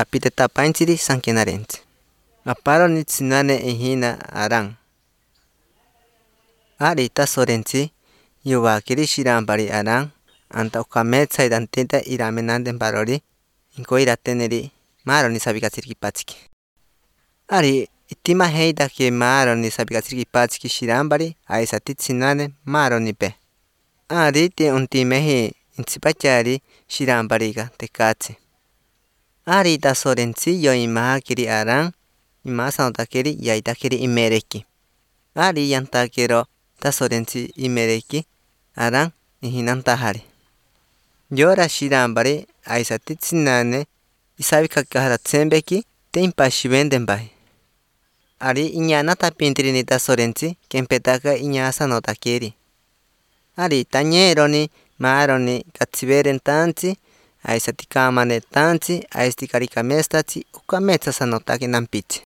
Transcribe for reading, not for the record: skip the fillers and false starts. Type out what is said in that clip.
apite tapainchiri sankenarense. Aparoni tsinane ihina arang. Ari tasorensi yubakiri shirambari arang anta ukametsa idantita iramenande barori inko irateneri maroni sabikasirki pachiki. Ari itima heida ke maroni sabikasirki pachiki shirambari aisati tsinane maroni pe. Ari te untimehi intsipachari shirambariga tekatsi. Ari tasorensi yo imahakiri arang imasantakeri yaitakeri imereki. Ari yantakero tasorensi imereki arang ihinantahari. Yora shirambari aisati tsinane isabikakahara tsembeki te impashivendembai. Ari iñanata pintirini tasorensi kempetaka iñasanotakeri. Ari tañeroni maroni katsiberen tansi aisati kamane tansi aisti karikamestasi ukametsa sanotake nampichi.